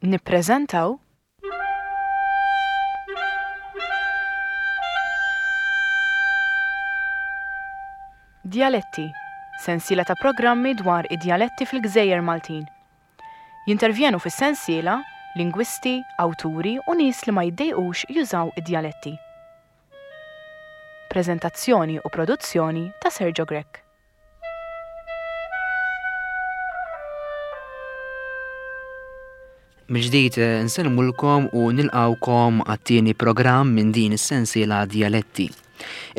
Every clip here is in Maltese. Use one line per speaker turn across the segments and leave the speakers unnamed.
Nippreżentaw Djaletti, sensiela ta' programmi dwar id-djaletti fil-gżejjer Maltin. Jintervjenu fis-sensiela lingwisti, awturi u nies li ma jiddejqux jużaw id-djaletti. Preżentazzjoni u produzzjoni ta' Sergio Grech.
Mill-ġdid eh, nsellmulkom u nilqawkom għat-tieni programm minn din is-sensiela Djaletti.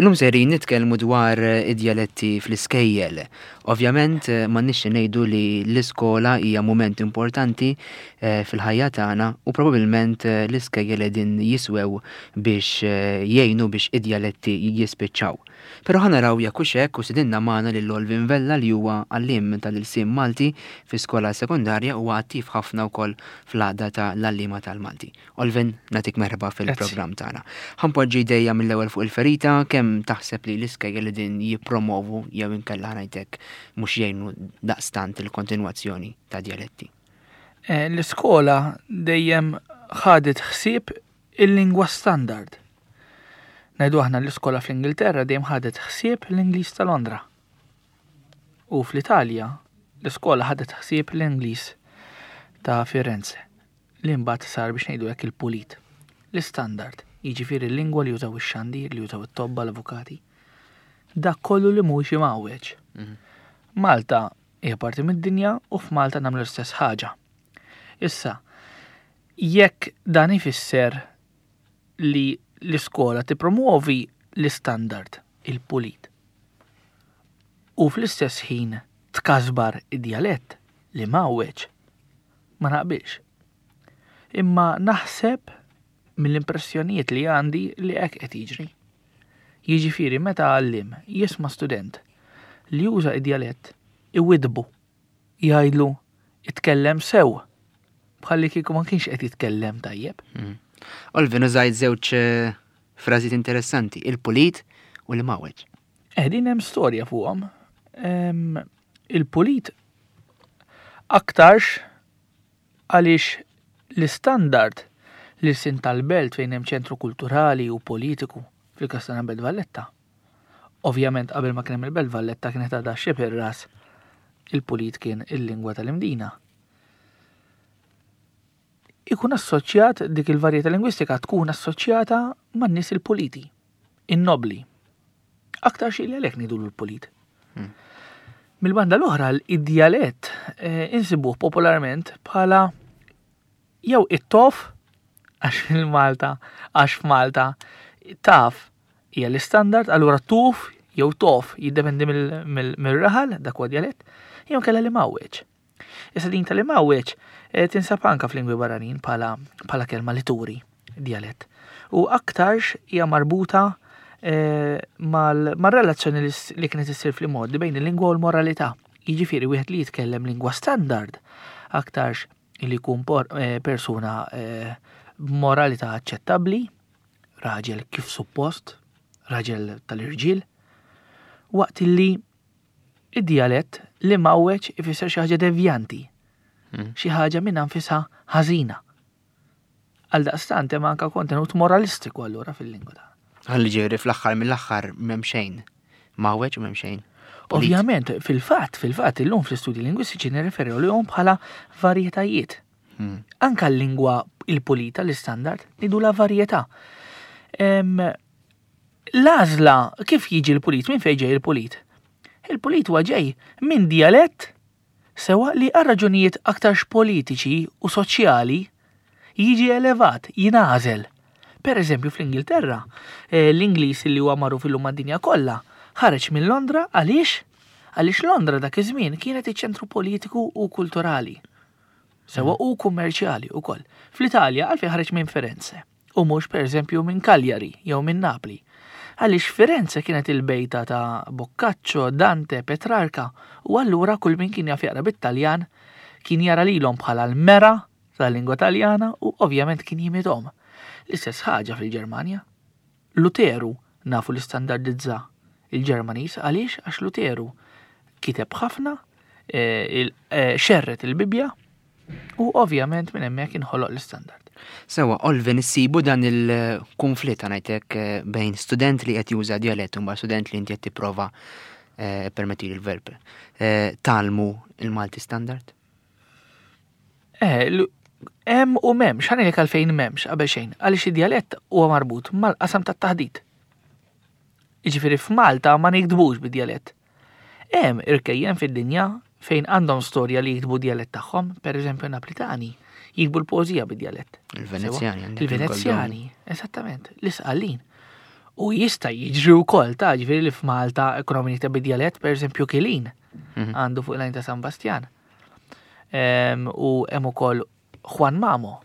Illum sejrin nitkellmu dwar eh, id-djaletti fl-iskejjel. Ovvjament eh, ma nixxi ngħidu li l-iskola hija mument importanti fil-ħajja tagħna u probabbilment l-iskejjel qegħdin jiswew biex jgħinu biex id-djaletti jispiċċaw. Però ħa naraw jekk hux hekk u stidinna magħna lil Olvin Vella li huwa għalliem tal-ilsien Malti fi skola sekondarja u huwa attiv ħafna wkoll fl-għaqda ta' l-għalliema tal-Malti. Olvin, nagħtik merħba fil-programm tagħna. Ħa npoġġi jdejja mill-ewwel fuq il-ferita, kemm taħseb li l-iskejjel qegħdin jippromovu jew inkella ħa ngħid hekk mhux jgħinu daqstant il-kontinwazzjoni ta' djaletti?
Eh, l-iskola dejjem ħadet ħsieb il-lingwa standard. Ngħidu aħna l-iskola fl-Ingilterra dejjem ħadet ħsieb l-Ingliż ta' Londra. U fl-Italja l-iskola ħadet ħsieb l-Ingliż ta' Firenze li mbagħad sar biex ngħidu hekk il-pulit. L-istandard, jiġifieri l-lingwa li jużaw ix-xandir, li jużaw it-tobba, l-avukati. Dak kollu li mhuwiex imgħawweġ. Mhm. Malta hija parti mid-dinja u f'Malta nagħmlu l-istess ħaġa. Issa, Jekk dan ifisser li l-iskola tippromwovi l-istandard, il-pulit, u fl-istess ħin tkasbar id-djalett li mgħawweġ, ma naqbilx. Imma naħseb mill-impressjonijiet li għandi li hekk qed jiġri. Jiġifieri meta għalliem jisma' student li juża id-djalett iwiddbu jgħidlu itkellem sew bħalli kieku ma kienx qed jitkellem tajjeb.
Hmm. Olvin użajt żewġ eh, frażijiet interessanti, il-pulit u l-mawġ.
Eh, din hemm storja fuqhom. Il-pulit aktarx għaliex l-istandard li sin tal-belt fejn hemm ċentru kulturali u politiku fil-każ tagħna Belt Valletta Ovvjament qabel ma kien hemm il-Belt Valletta kienet għadha xeb ir-ras il-pulit kien il-lingwa tal-Imdina. Ikun assoċjat dik il-varjetà lingwistika tkun assoċjata man-nies il-puliti, in-nobli. Aktar xi li għalhekk ngħidulu l-pulit. Hmm. Mill-banda l-oħra id-djalett eh, insibuh popolarment bħala jew it-tof għax fil-Malta, għax f'Malta taf hija l-istandard, allura tuf jew tof jiddependi mill-raħal, dak huwa djalett, jew kellha li mawweġ. Issa din tal mawweġ eh, tinsab anka f'lingwi barranin bħala kelma li turi djalett. U aktarx hija marbuta eh, mal-relazzjoni li kienet issir fl-modi bejn il-lingwa u l-moralità. Jiġifieri wieħed li jitkellem lingwa standard aktarx li jkun eh, persuna b'moralità aċċettabbli, raġel kif suppost, raġel tal-irġiel, waqt li id-djalett li mawweġ ifisser xi ħaġa devjanti, hmm. xi ħaġa minn anfisha ħażina. Għal daqstant hemm anke kontenut moralistiku allura fil-lingwa
tagħna. Ħalli ġieri fl-aħħar mill-aħħar m'hemm xejn. Mawweġ u m'hemm xejn.
Ovvjament, fil-fatt, fil-fatt illum fl-istudji lingwistiċi nirreferu lihom bħala varjetajiet. Hmm. Anka l-lingwa il-pulita, l-istandard, nidu la varjetà. L-għażla kif jiġi l-pulit, minn fejn ġej il-pulit? Il-pulit huwa ġej minn dialett sewa li għal raġunijiet aktarx politiċi u soċjali jiġi elevat, jingħażel. Per eżempju fl-Ingilterra, eh, l-Ingliż li huwa magħruf illum mad-dinja kollha, ħareġ minn Londra għaliex? Għaliex Londra dak iż-żmien kienet iċ-ċentru politiku u kulturali. Sewa u kummerċjali wkoll. Fl-Italja għalfejn ħareġ minn Firenze u mhux pereżempju minn Cagliari jew minn Napli. Għaliex Firenze kienet il-bejta ta' Boccaccio, Dante, Petrarca u allura kull min kien jaf jaqra bit-Taljan kien jara lilhom bħala l-mera tal-lingwa Taljana u ovvjament kien jimithom. L-istess ħaġa fil-Ġermanja. Luteru nafu li standardizza il-Ġermaniż għaliex għax Luteru kiteb ħafna, eh, eh, xerret il-Bibbja. U ovvjament minn hemmhekk inħoloq l-istandard.
Sewa, Olvin, issibu dan il-konflitt ngħidlek eh, bejn student li qed juża djalett u ma' student li inti qed tipprova eh, permetti l-verb eh, talmu il-Malti standard?
Eh, hemm u m'hemmx, ħa għalfejn m'hemmx qabel xejn, għaliex id-djalett huwa marbut mal-qasam tat-taħdit. Jiġifieri f'Malta ma niktbux bid-djalett. Hemm irkejjen fid-dinja fejn għandhom storja li jiktbu djalett tagħhom, pereżempju Naplitani, jiktbu l-poeżija bid-djalett.
Il-Venezjani.
Il-Venezjani, eżattament, l-Isqallin. U jista' jiġri wkoll ta' ġifieri li f'Malta ekonomi jikteb bid-djalett, pereżempju Kilin mhm. għandu fuq il ta' San Bastian. U hemm ukoll Juan Mamo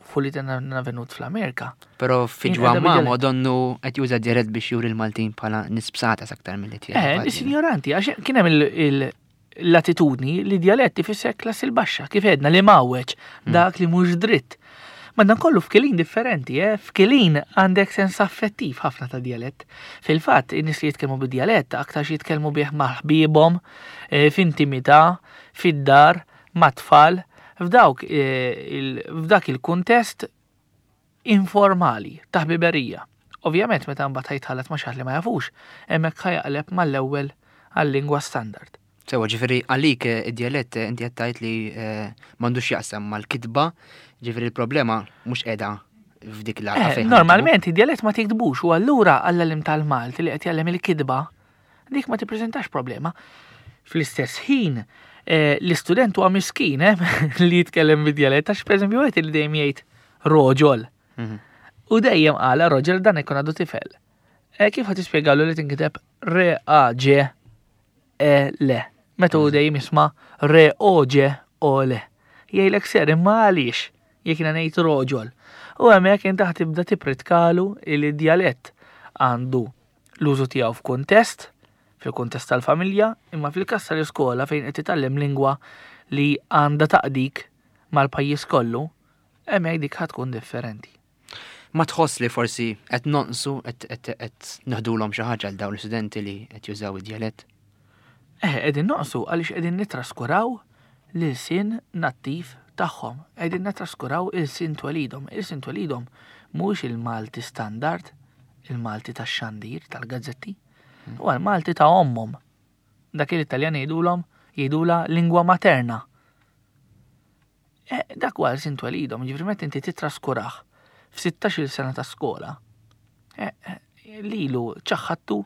fu li venut fl-Amerika.
Pero fi Juan Mamo donnu qed juża djalett biex juri l-Maltin bħala nisbsata aktar mill-li
tiegħek. Eh, nis ignoranti, għax kien hemm l-attitudni li djalett ifisser klassi l-baxxa, kif edna li mawweġ, hmm. dak li mhux dritt. Ma dan kollu f'kilin differenti, eh? F'kilin għandek sens affettiv ħafna ta' djalett. Fil-fatt, in-nies li jitkellmu bid-djalett aktar jitkellmu bih ma' ħbiebhom, eh, f'intimità, fid-dar, mat-tfal, f'dawk eh, f'dak il-kuntest informali ta' ħbiberija. Ovvjament meta mbagħad ħajtħallat ma' xi li ma jafux, hemmhekk ħajaqleb mal-ewwel għal-lingwa standard.
Sewa ġifieri għalik eh, id-djalett eh, inti qed tgħid li m'għandux jaqsam mal-kitba, ġifieri l-problema mhux qiegħda f'dik
l Normalment id-djalett ma tiktbux u allura għall-għalim tal-Malti li qed jgħallem il-kitba dik ma tippreżentax problema. Fl-istess ħin, eh, l-istudent huwa miskin eh, li jitkellem bid-djalett għax pereżempju wieħed li dejjem jgħid roġol. Mhm. U dejjem qala roġol dan ikun għadu tifel. Eh, kif ħad tispjegalu li tinkiteb re a ġ e l. Meta hu mhm. dejjem jisma' re o ġ o l. Jgħidlek ser imma għaliex jekk jiena ngħid roġol. U hemmhekk inti ħa tibda tipritkalu li d-djalett għandu l-użu tiegħu f'kuntest, fil-kuntest tal-familja, imma fil-każ tal-iskola fejn qed titgħallem lingwa li għandha taqdik mal-pajjiż kollu, hemmhekk dik ħa tkun differenti.
Ma tħoss li forsi qed nonqsu qed neħdulhom xi ħaġa għal dawn l-istudenti li qed jużaw id-djalett?
Eh, qegħdin noqsu għaliex qegħdin nittraskuraw l-ilsien nattiv tagħhom. Qegħdin nittraskuraw ilsien twelidhom. Ilsien twelidhom mhuwiex il-Malti standard, il-Malti tax-xandir, tal-gazzetti, huwa l-Malti ta' ommhom. Dak li l-Italjan jgħidulhom jgħidula lingwa materna. Eh, dak huwa l-sin twelidhom, ġifieri meta inti titraskurah f'16-il sena ta' skola, eh, eh, lilu ċaħħattu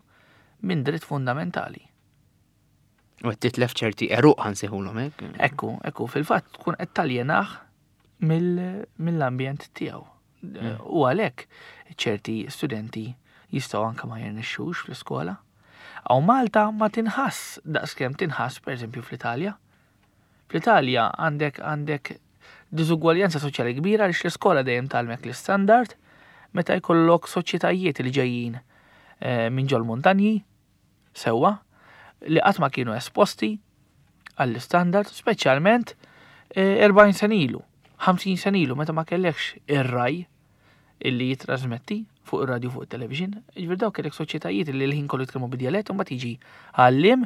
minn dritt fundamentali.
U qed titlef ċerti eruq ħansejħulhom hekk.
Ekku, ekku, fil-fatt tkun qed taljenah mill-ambjent tiegħu. Mm. U għalhekk ċerti studenti jistgħu anke ma jirnexxux fl-iskola. Aw Malta ma tinħass daqskemm tinħass pereżempju fl-Italja. Fl-Italja għandek għandek diżugwaljanza soċjali kbira għaliex l-iskola dejjem tgħallmek l-istandard meta jkollok soċjetajiet li ġejjin eh, minn ġol muntanji sewwa li qatt ma kienu esposti għall-istandard, speċjalment 40 eh, sena ilu, 50 sena ilu meta ma kellekx ir-raj illi jitrasmetti fuq ir-radju fuq it-television, ġifier dawk kellek soċjetajiet li l-ħin kollu jitkellmu bid-djalett u mbagħad jiġi għallim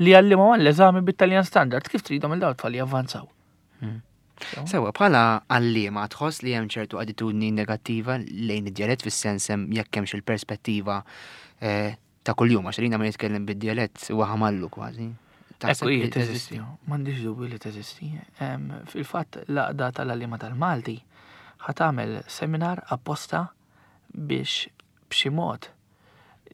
li għallimhom għall-eżami bit-Taljan standard kif tridhom il dawn tfal javvanzaw.
Hmm. Sewa, bħala għalliema tħoss li hemm ċertu attitudni negattiva lejn id-djalett fis-sens hemm jekk hemmx il-perspettiva eh, ta' kuljum għax lina ma jitkellem bid-djalett huwa ħamallu kważi.
Ekku hi teżisti, m'għandix dubju li teżisti. Fil-fatt l-għaqda tal-għalliema tal-Malti ħa tagħmel seminar apposta biex b'xi mod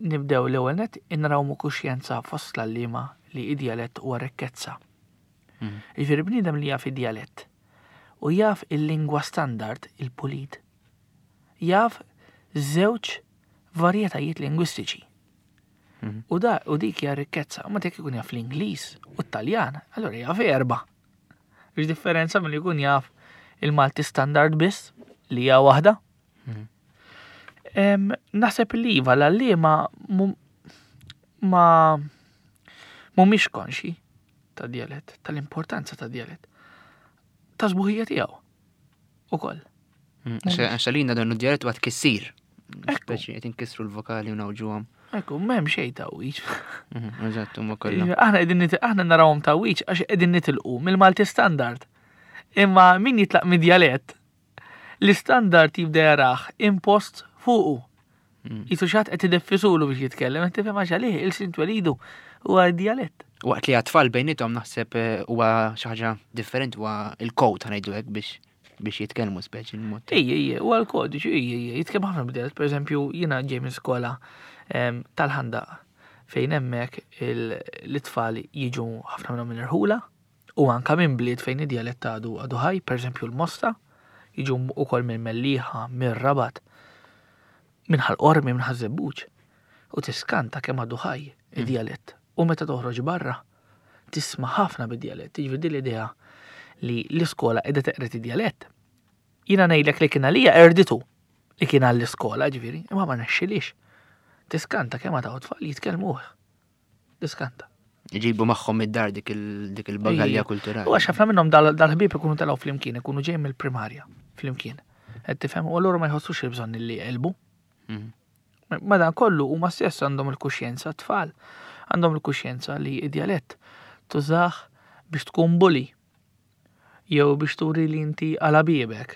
nibdew l-ewwel nett inrawmu kuxjenza fost l-għalliema li id-djalett huwa rikkezza. Mm. Jiġifieri bniedem li jaf id-djalett u jaf il-lingwa standard, il-pulit, jaf żewġ varjetajiet lingwistiċi. Mhm. U da u dik hija rikkezza, ma dik ikun jaf l-Ingliż u t-Taljan, allura jaf erba. Biex differenza milli jkun jaf il-Malti standard biss li hija waħda. Mhm. Naħseb li iva l-għalliema ma mhumiex konxi ta' djalett, tal-importanza ta' djalett, ta' sbuħija tiegħu ukoll.
Mm, għax għalina dan id-djalett huwa tkissir. Speċi qed inkissru l-vokali u nawġuhom.
Ekku, m'hemm xejn tawwiġ.
Mhm, eżatt, huma kollha.
Aħna qegħdin aħna narawhom tawwiġ għax qegħdin nitilqu mill-Malti standard. Imma min jitlaq mid-djalett, l-istandard jibda jarah impost fuqu. Jisu xatt qed ideffisulu biex jitkellem, qed tifhem għax għalih il-sin twelidu huwa djalett.
Waqt li għat-tfal bejnietom naħseb eh, huwa xi ħaġa differenti huwa il-kod ħanejdu hekk biex biex jitkellmu speċi
l-mod. Ejja, ejja, huwa l-kodiċi, ejja, ejja, jitkellmu ħafna b'djalett. Per eżempju, jiena ġej minn skola tal-ħandaq fejn hemmhekk l-itfal jiġu ħafna minnhom minn irħula u anka minn bliet fejn id-djalett għadu għadu ħaj, per eżempju l-Mosta, jiġu ukoll minn Mellieħa, mir-Rabat, minn Ħal Qormi, minn Ħaż-Żebbuġ. U tiskanta kemm għadu ħaj id-djalett. U meta toħroġ barra, tisma' ħafna bid-djalett, jiġifieri din l-idea li l-iskola qiegħda teqred id-djalett. Jiena ngħidlek li kien għalija erditu li kien għall-iskola ġifieri, imma ma nexxilix. Tiskanta kemm għad tfal jitkellmuh. Tiskanta.
Iġibu magħhom id-dar dik il-bagalja kulturali.
U għax ħafna minnhom dal-ħbieb ikunu telgħu flimkien, ikunu ġejjin mill-primarja flimkien. Qed tifhem u allura ma jħossux il-bżonn li jqelbu. Mhm. Madankollu huma stess għandhom il-kuxjenza t-tfal għandhom il-kuxjenza li id-djalett tużah biex tkun bully jew biex turi li inti għala biebek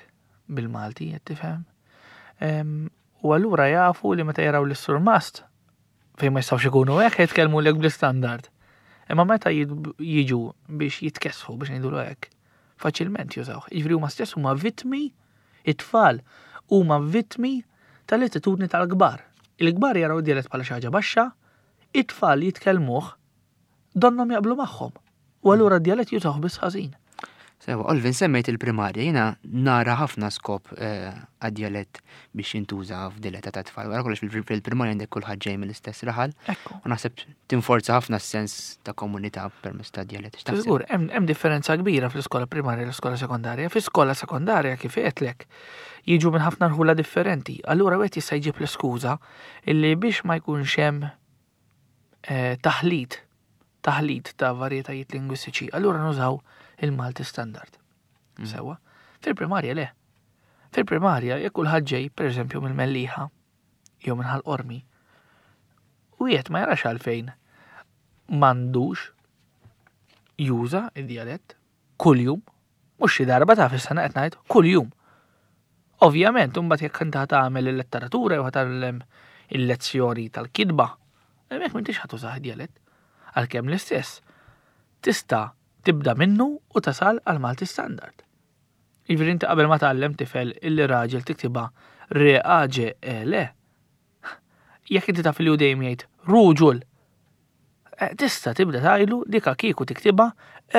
bil-Malti, qed tifhem. U allura jafu li meta jaraw lis-surmast fejn ma jistgħux ikunu hekk jitkellmu lek bl-istandard. Imma meta jiġu biex jitkessħu biex ngħidulu hekk, faċilment jużawh. Jiġifieri huma stess huma vittmi it-tfal huma vittmi tal-attitudni tal-kbar. Il-kbar jaraw id-djalett bħala xi ħaġa baxxa, it-tfal jitkellmuh donnhom jaqblu magħhom. U allura d-djalett jużawh biss ħażin.
Sewa, Olvin, semmejt il-primarja, jiena nara ħafna skop eh, għad-djalett biex jintuża f'diletta ta' tfal. Wara kollox fil-primarja għandek kulħadd ġej mill-istess raħal. U naħseb tinforza ħafna s-sens ta' komunità permezz ta' djalett.
Żgur, hemm differenza kbira fl-iskola primarja u l-iskola sekondarja. Fl-iskola sekondarja kif għedtlek, jiġu minn ħafna rħula differenti. Allura wieħed jista' jġib l-iskuża illi biex ma jkunx hemm eh, taħlit taħlit ta' varjetajiet lingwistiċi, allura nużaw il-Malti standard. Mm. Sewa. Fil-primarja le. Fil-primarja jekk kulħadd ġej, pereżempju mill-Mellieħa jew minn Ħal Qormi, wieħed ma jarax għalfejn m'għandux juża id-djalett kuljum, mhux xi darba ta' fis-sena qed ngħid kuljum. Ovvjament, imbagħad jekk inti tagħmel il-letteratura jew tagħmel il-lezzjoni tal-kitba, hemmhekk m'intix ħa tużah id-djalett. Għalkemm l-istess tista' tibda minnu u tasal għal Malti standard. Jiġifieri inti qabel ma tgħallem tifel illi raġel tiktibha R A Ġ E L, jekk inti taf li hu dejjem jgħid ruġul, eh, tista' tibda tgħidlu dika kieku tiktibha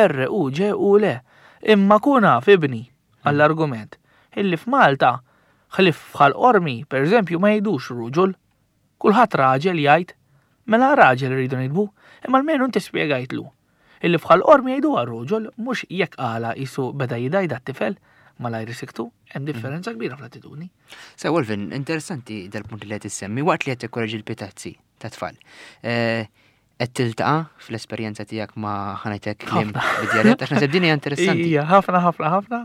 R U Ġ U L. Imma kun af ibni għall-argument illi f'Malta ħlief f'Ħal Qormi, pereżempju, ma jgħidux ruġul. Kulħadd raġel jgħid, mela raġel irridu niktbu, imma almenu inti spjegajtlu illi f'Ħal Qormi jgħiduha ruġul mhux jekk qalha qisu beda jidgħi dat-tifel malajr isiktu, hemm differenza kbira fl-attitudni.
Sew Olvin, interessanti dal-punt li qed issemmi waqt li qed tikkoreġi l-pitazzi tat-tfal. Eh, qed tiltaqa' fl-esperjenza tiegħek ma' ħanajtek kliem bid-djalett għax naħseb din hija interessanti.
Ija, ħafna ħafna ħafna.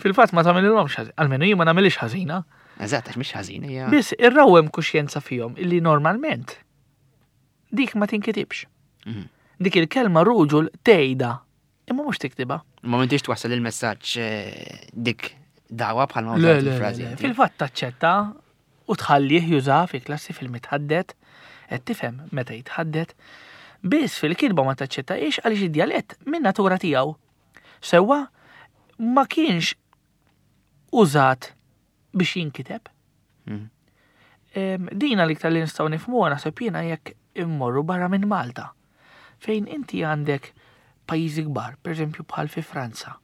Fil-fatt ma tagħmilhomx ħażin, almenu jien ma nagħmilx ħażina.
Eżatt, għax mhix ħażina hija.
Biss irrawhem kuxjenza fihom illi normalment dik ma tinkitibx. Mhm. Dik il-kelma ruġul tgħidha imma mhux tiktibha.
Ma m'intix twassal il-messaġġ eh, dik dawa bħalma użajt il-frażi.
Fil-fatt taċċetta u tħallih jużaha fi klassi fil-mitħaddet, qed tifhem meta jitħaddet, biss fil-kitba ma taċċettahiex għaliex id-djalett min-natura tiegħu sewwa ma kienx użat biex jinkiteb. Mm. Dina l-iktar li nistgħu nifhmuha naħseb jiena jekk immorru barra minn Malta. Fejn inti għandek pajjiżi kbar, pereżempju bħal fi Franza,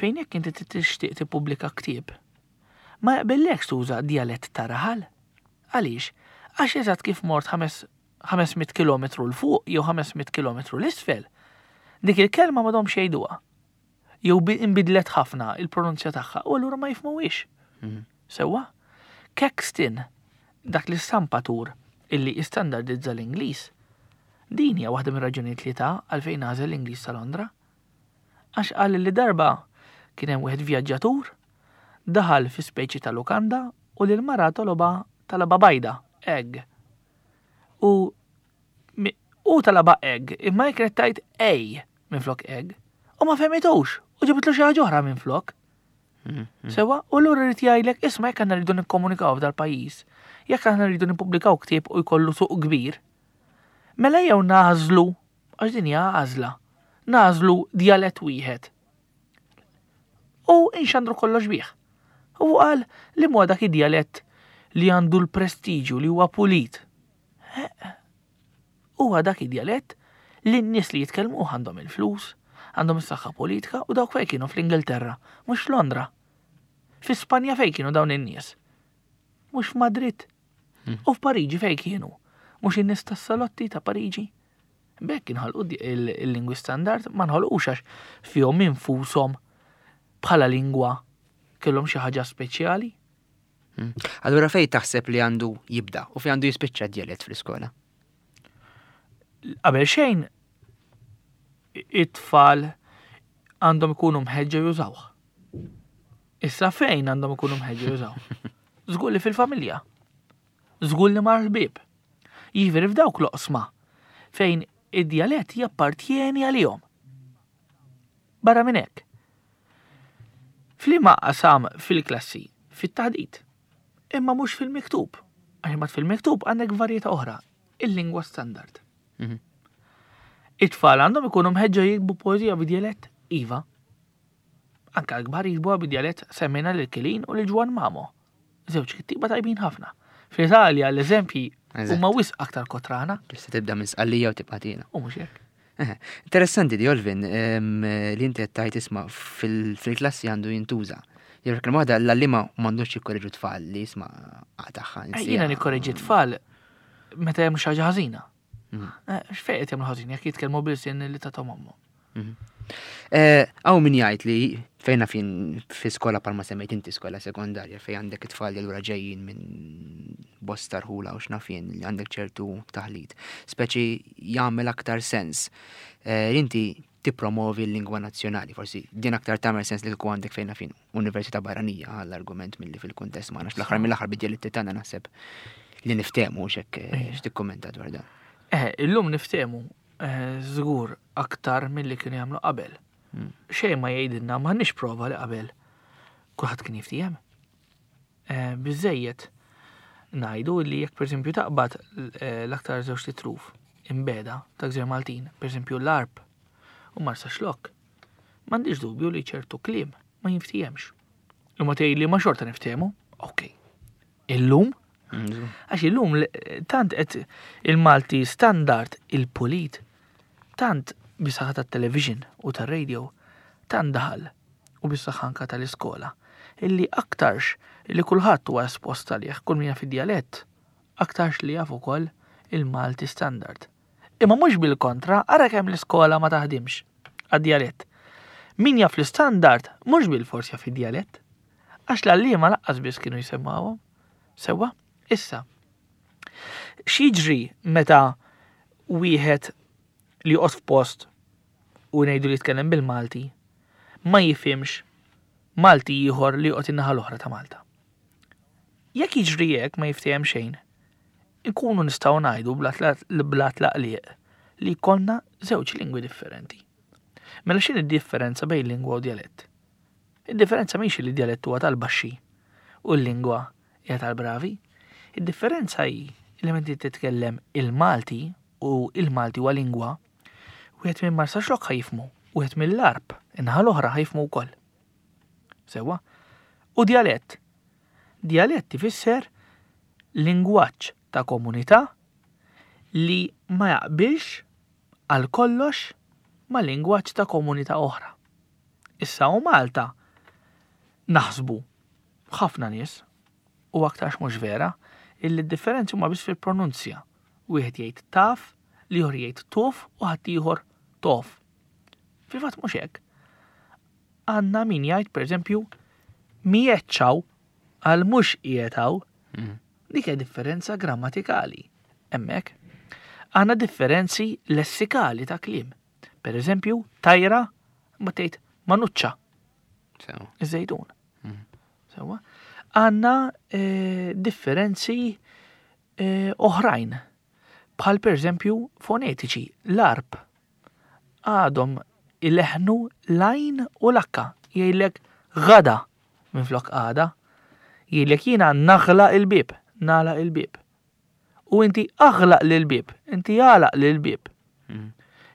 fejn jekk inti tixtieq tippubblika ktieb, ma jaqbillekx tuża djalett ta' raħal. Għaliex? Għax eżatt kif mort 500 kilometru 'l fuq jew 500 kilometru 'l isfel, dik il-kelma m'għadhomx jgħiduha. Jew inbidlet ħafna il-pronunzja tagħha u allura ma jifhmuhiex. Mhm. Sewwa? Caxton, dak l-istampatur illi istandardizza l-Ingliż, din hija waħda mir-raġunijiet li ta għalfejn għażel l-Ingliż ta' Londra. Għax qal li darba kien hemm wieħed vjaġġatur daħal fi speċi ta' lukanda u lil mara tolobha talabha bajda, egg. U u talabha egg, imma hi kienet tgħid ej minflok egg. U ma fehmitux. U ġabitlu xi ħaġa oħra minn flok. Sewa, u allura rrid jgħidlek isma' jekk aħna rridu nikkomunikaw f'dal-pajjiż, jekk aħna rridu nippubblikaw ktieb u jkollu suq kbir, mela jew nagħżlu, għax din hija għażla, nagħżlu djalett wieħed. U inxandru kollox bih. U qal li huwa dak id-djalett li għandu l-prestiġju li huwa pulit. Huwa dak id-djalett li n-nies li jitkellmuh għandhom il-flus, għandhom is-saħħa politika u dawk fejn kienu fl-Ingilterra, mhux f'Londra. Fi Spanja fejn kienu dawn in-nies? Mhux f'Madrid. U f'Pariġi fejn kienu? Mhux in-nies tas-salotti ta' Pariġi? B'hekk inħolqu il-lingwi standard ma nħolqux għax fihom infushom bħala lingwa kellhom xi ħaġa speċjali.
Allura fejn taħseb li għandu jibda u fejn għandu jispiċċa d-djalett fl-iskola?
Qabel xejn it-tfal għandhom ikunu mħeġġa jużawh. Issa fejn għandhom ikunu mħeġġa jużawh? Żgur li fil-familja. Żgur li mal-ħbieb. Jiġifieri f'dawk l-oqsma fejn id-djalett jappartjeni għalihom. Barra minn hekk, f'liema qasam fil-klassi? Fit-taħdit. Imma mhux fil-miktub. Għax imbagħad fil-miktub għandek varjetà oħra, il-lingwa standard. It-tfal għandhom ikunu mħeġġa jiktbu poeżija bid-djalett? Iva. Anka l-kbar jiktbuha bid-djalett semmejna lil Kilin u lil Ġwann Mamo. Żewġ kittieba tajbin ħafna. Fl-Italja l-eżempji huma wisq aktar kotrana.
Tista' tibda minn Sqallija u tibqa' tiela.
U mhux hekk.
Interessanti di Olvin li inti qed tgħid isma' fil-klassi għandu jintuża. Jew kemm waħda l-għalliema m'għandux jikkoreġu tfal li jisma' tagħha.
Jiena nikkoreġi tfal meta jagħmlu xi ħaġa ħażina. X'fejn qed jagħmlu ħażin jekk jitkellmu bil-sin li tagħhom ommhom.
Hawn min jgħid li fejna fin fi skola palma semmejt inti skola sekondarja fejn għandek it-tfal li lura ġejjin minn bosta rħula u x'naf jien li għandek ċertu taħlit. Speċi jagħmel aktar sens. Inti tippromovi l-lingwa nazzjonali, forsi din aktar tagħmel sens li kieku għandek fejna fin università barranija għall-argument milli fil-kuntest magħna fl-aħħar mill-aħħar bid-djaletti tagħna naħseb li niftehmu x'hekk x'tikkummenta dwar dan.
Illum niftehmu żgur aktar milli kienu jagħmlu qabel. Xejn ma jgħidilna m'għandniex prova li qabel kulħadd kien jiftiehem. Biżejjed ngħidu li jekk pereżempju taqbad l-aktar żewġ titruf imbeda ta' Gżejjer Maltin, pereżempju l-Għarb u Marsaxlokk, m'għandix dubju li ċertu kliem ma jinftihemx. Imma tgħidli ma xorta niftehmu, ok. Illum? Għax illum tant qed il-Malti standard il-pulit, tant bis-saħħa tat-television u tar-radio, tant daħal u bis-saħħa anka tal-iskola, illi aktarx li kulħadd huwa espost għalih, kull min jaf id-djalett, aktarx li jaf ukoll il-Malti standard. Imma mhux bil-kontra, ara kemm l-iskola ma taħdimx għad-djalett. Min jaf l-istandard mhux bil-fors jaf id-djalett. Għax l-għalliema laqqas biss kienu jsemmawhom. Sewwa? Issa, x'jiġri meta wieħed li joqgħod f'post u ngħidu li jitkellem bil-Malti ma jifhimx Malti ieħor li joqgħod in-naħa l-oħra ta' Malta? Jekk jiġri hekk ma jiftiehem xejn, inkunu nistgħu ngħidu bla tlaqliq li jkollna żewġ lingwi differenti. Mela x'inhi d-differenza bejn lingwa u djalett? Id-differenza mhix li d-djalett huwa tal-baxxi u l-lingwa hija tal-bravi. Id-differenza hi li meta inti titkellem il-Malti u il-Malti huwa lingwa, wieħed minn Marsaxlokk ħa jifhmu, wieħed mill-Għarb, in-naħa l-oħra ħa jifhmu wkoll. Sewwa? U djalett? Djalett ifisser lingwaġġ ta' komunità li ma jaqbilx għal kollox ma' lingwaġġ ta' komunità oħra. Issa u Malta naħsbu ħafna nies u aktarx mhux vera illi d-differenzi huma biss fil-pronunzja. Wieħed jgħid taf, l-ieħor jgħid tuf u ħaddieħor tof. Fil-fatt mhux hekk. Għandna min jgħid pereżempju miegħed għal mhux qiegħed hawn. Dik hija differenza grammatikali. Hemmhekk għandna differenzi lessikali ta' kliem. Per eżempju, tajra ma tgħid manuċċa. Iż-żejtun. Sewa. Għandna differenzi oħrajn. Bħal per eżempju fonetiċi, l-Għarb. Għadhom ileħnu l-għajn u l-akka. Jgħidlek għada minflok għada. Jgħidlek jiena naħlaq il-bieb, nagħlaq il-bieb. U inti aħlaq l-bieb, inti għalaq l-bieb.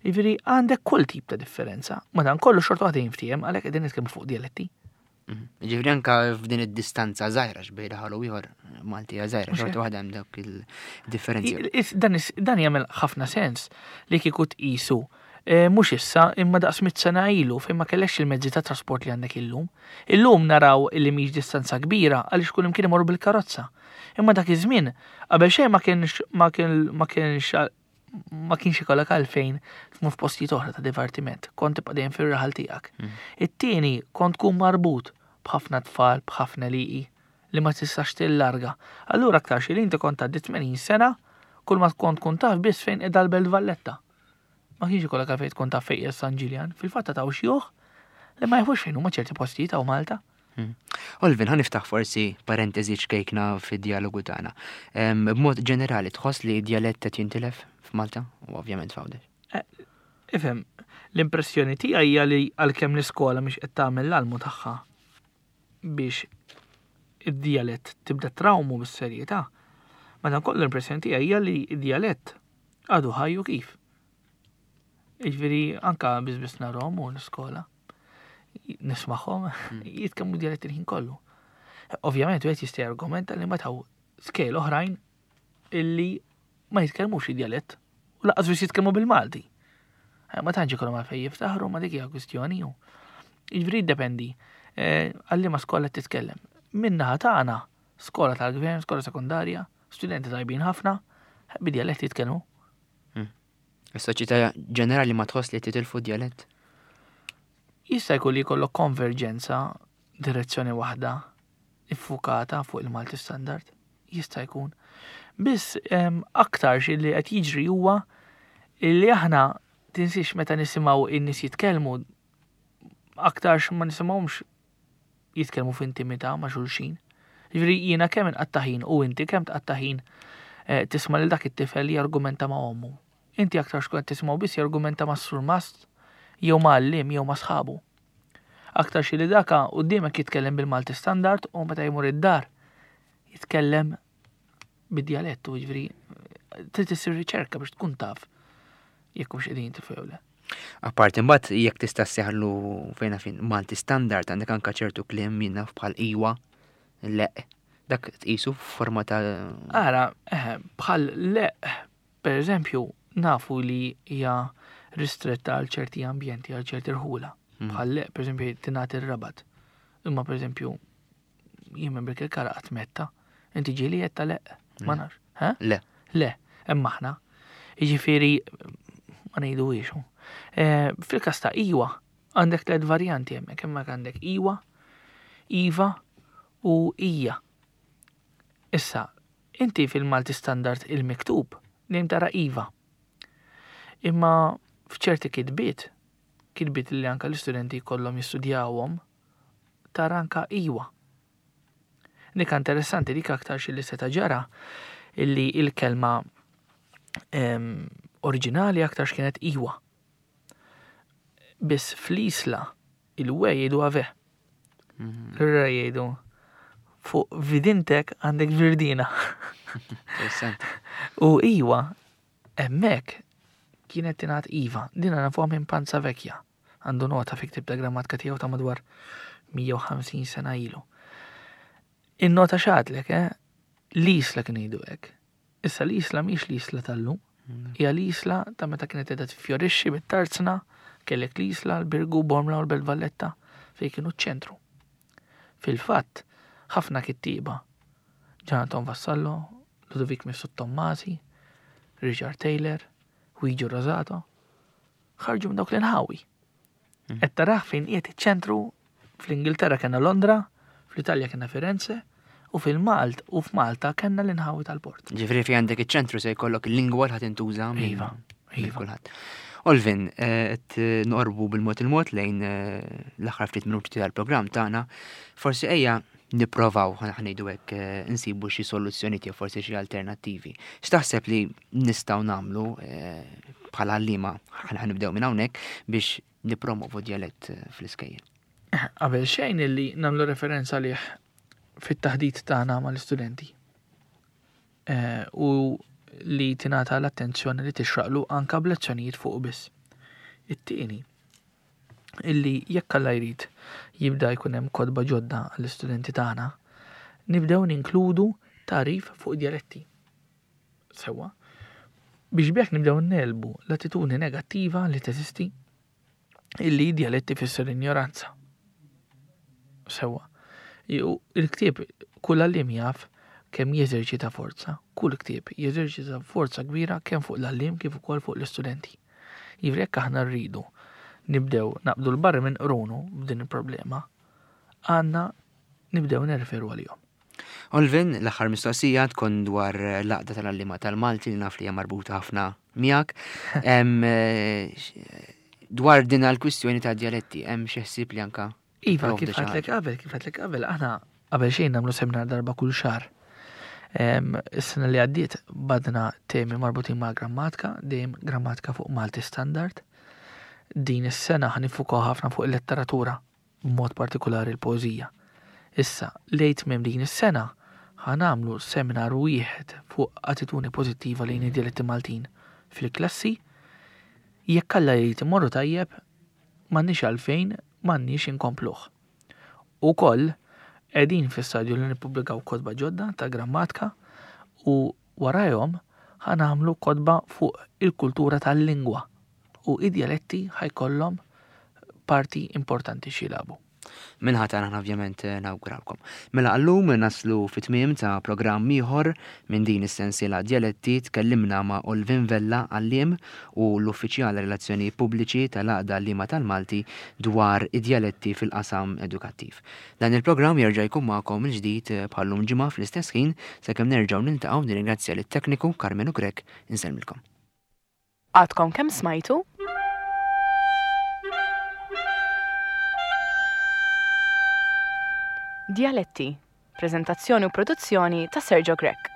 Jiġifieri għandek kull tip ta' differenza. Madankollu xorta waħda jinftiehem għalhekk qegħdin nitkellmu fuq dialetti.
Jiġifieri anka f'din id-distanza żgħira x'bejn raħal u ieħor Malti hija żgħira, xorta waħda hemm dawk il-differenzi.
Dan jagħmel ħafna sens li kieku tqisu eh, mhux issa imma daqs mit sena ilu fejn ma kellekx il-mezzi ta' trasport li għandek illum. Illum naraw li mhix distanza kbira għaliex kull imkien imorru bil-karozza. Imma dak iż-żmien qabel xejn ma kienx ma kien ma kienx ma kienx ikollok għalfejn tmur f'postijiet oħra ta' divertiment, kont tibqa' dejjem fir-raħal tiegħek. It-tieni, kont tkun marbut b'ħafna tfal, b'ħafna liqi li ma tistax tillarga. Allura aktarx li inti kont tgħaddi 80 sena kull ma kont tkun taf biss fejn qiegħda l-Belt Valletta. Ma kienx ikollok għalfejn tkun taf fejn qiegħed San Ġiljan. Fil-fatt ta' xjuħ li ma jafux fejn huma ċerti postijiet hawn Malta.
Hmm. Olvin, ħa niftaħ forsi parentesi ċkejkna fid-dialogu tagħna. B'mod ġenerali tħoss li djalett qed jintilef f'Malta u ovvjament f'Għawdex?
Eh, ifhem, l-impressjoni tiegħi hija li għalkemm l-iskola mhix qed tagħmel l-almu tagħha biex id-djalett tibda trawmu bis-serjetà, madankollu l-impressjoni tiegħi hija li d-djalett għadu ħajju kif. Jiġifieri anka biss biss narhom u l-iskola nismagħhom hmm. jitkellmu djalett il-ħin kollu. Ovvjament wieħed jista' jargumenta li ma taw skejl oħrajn illi ma jitkellmux id-djalett u laqas biss jitkellmu bil-Malti. Eh, ma tantx ikollhom għalfejn jiftaħru ma dik hija kwistjoni hu. Jiġifieri jiddependi eh, għalli ma skola titkellem. Min-naħa tagħna, skola tal-gvern, skola sekondarja, studenti tajbin ħafna, bid-djalett jitkellmu.
Is-soċjetà ġenerali ma tħoss li titilfu djalett?
Jista' jkun li jkollok konverġenza direzzjoni waħda iffukata fuq il-Malti Standard. Jista' jkun. Biss aktarx li qed jiġri huwa li aħna tinsiex meta nisimgħu in-nies jitkellmu aktarx ma nisimgħuhomx jitkellmu f'intimità ma' xulxin. Jiġifieri jiena kemm inqatta' ħin u inti kemm tqatta' ħin eh, tisma' lil dak it-tifel jargumenta ma' ommu. Inti aktar xkun qed tisimgħu biss jargumenta ma' surmast jew ma' għalliem jew ma' sħabu. Aktar xi li daka quddiemek jitkellem bil-Malti standard u meta jmur id-dar jitkellem bid-djalettu, jiġifieri trid issir riċerka biex tkun taf jekk hux qegħdin jintilfu jew le.
Apparti imbagħad jekk tista' sseħħlu fejn fin Malti standard għandek anke ċertu kliem jien naf bħal iwa, leq, dak tqisu f'forma ta'
Ara, eh, bħal leq, per eżempju, nafu li hija ristretta għal ċerti ambjenti, għal ċerti rħula. Hmm. Bħal leq, per eżempju, tingħati r-rabat. Imma per eżempju, jien minn Birkirkara qatt metta. Inti ġieli qed ta' leq? Ma nafx.
Le.
Le, hemm aħna. Jiġifieri ma ngħidu ixu. Eh, fil-każ ta' iwa, għandek tliet varjanti hemmhekk, hemmhekk għandek iwa, iva u ija. Issa, inti fil-Malti standard il-miktub dejjem tara iva. Imma f'ċerti kitbiet, kitbiet li anka l-istudenti jkollhom jistudjawhom, tara anka iwa. Dik interessanti dik aktar xi li seta' ġara illi il-kelma oriġinali aktar x'kienet iwa. Biss fl-isla il-we jgħidu ave. Mhm. L-ra jgħidu fuq vidintek għandek virdina. U iwa, emmek kienet tingħad iva, din nafuha minn Panza Vecchia. Għandu nota fi ktieb ta' grammatika tiegħu ta' madwar 150 sena ilu. In-nota x'għadlek, eh? L-isla kien jgħidu hekk. Issa l-isla mhix l-isla tal-lum. Mm. Hija l-isla ta' meta kienet qiegħda tifjorixxi bit-tarzna, kellek l-isla, l-Birgu, Bormla u l-Belt Valletta fejn kienu ċ-ċentru. Fil-fatt, ħafna kittieba, Ġanaton Vassallo, Ludovic Mifsud Tommasi, Richard Taylor, Luigi Rosato, ħarġu minn dawk l-inħawi. Hmm. Qed taraħ fejn qiegħed iċ-ċentru fl-Ingilterra kellna Londra, fl-Italja kellna Firenze, u fil-Malt u f'Malta kellna l-inħawi tal-port.
Ġifri fi għandek iċ-ċentru se jkollok il-lingwa li ħadd intuża.
Iva, iva.
Kulħadd. Olvin, eh, qed noqorbu bil-mod il-mod lejn eh, l-aħħar ftit minuti tal-programm tagħna. Forsi ejja nipprovaw ħanejdu hekk eh, insibu xi soluzzjonijiet jew forsi xi alternattivi. X'taħseb li nistgħu nagħmlu eh, bħala għalliema ħa nibdew minn hawnhekk biex nippromovu djalett fl-iskejjel?
Qabel xejn illi nagħmlu referenza għalih fit-taħdit tagħna mal-istudenti. Eh, u li tingħata l-attenzjoni li tixraqlu anka b'lezzjonijiet fuq biss. It-tieni, illi jekk Alla jrid jibda jkun hemm kotba ġodda għall-istudenti tagħna, nibdew ninkludu tagħrif fuq djaletti. Sewwa, biex b'hekk nibdew negħlbu l-attitudni negattiva li teżisti illi djalett ifisser injoranza. Sewwa. Il-ktieb kull għalliem jaf kemm jeżerċita forza, kull ktieb jeżerċita forza kbira kemm fuq l-għalliem kif ukoll fuq l-istudenti. Jiġifieri jekk aħna rridu nibdew naqbdu l-barri minn qrunu b'din il-problema, għandna nibdew nirreferu għalihom.
Olvin, l-aħħar mistoqsija tkun dwar l-għaqda tal-għalliema tal-Malti li naf li hija marbuta ħafna miegħek. Eh, dwar din għal-kwistjoni ta' djaletti, hemm xi ħsieb li anka
Iva, kif għedtlek qabel, kif għedtlek qabel, aħna qabel xejn nagħmlu seminar darba kull xahar. Is-sena li għaddiet badna temi marbutin ma' grammatika, dejjem grammatika fuq Malti Standard. Din is-sena ħanifukaw ħafna fuq il-letteratura b'mod partikulari l-poeżija. Issa, lejn tmiem din is-sena, ħa nagħmlu seminar wieħed fuq attitudni pożittiva lejn id-djaletti Maltin fil-klassi. Jekk Alla jrid imorru tajjeb, m'għandniex għalfejn m'għandniex inkompluh. Ukoll, qegħdin fi stadju li nippubblikaw kotba ġodda ta' grammatika u warajhom ħa nagħmlu kotba fuq il-kultura tal-lingwa u id-djaletti ħa jkollhom parti importanti x'jilagħbu.
Min-naħa tagħna aħna ovvjament eh, nawguralkom. Mela għallum naslu fit-tmiem ta' programm ieħor minn din is-sensiela Djaletti tkellimna ma' Olvin Vella għalliem u l-uffiċjal relazzjoni pubbliċi tal-Għaqda Għalliema tal-Malti dwar id-djaletti fil-qasam edukattiv. Dan il-programm jerġa' jkun magħkom il-ġdid eh, bħallum ġimgħa fl-istess ħin sakemm nerġgħu niltaqgħu nirringrazzja lit-tekniku Karmenu Grech insellmilkom.
Għadkom kemm smajtu? Djaletti, preżentazzjoni u produzzjoni ta' Sergio Grech.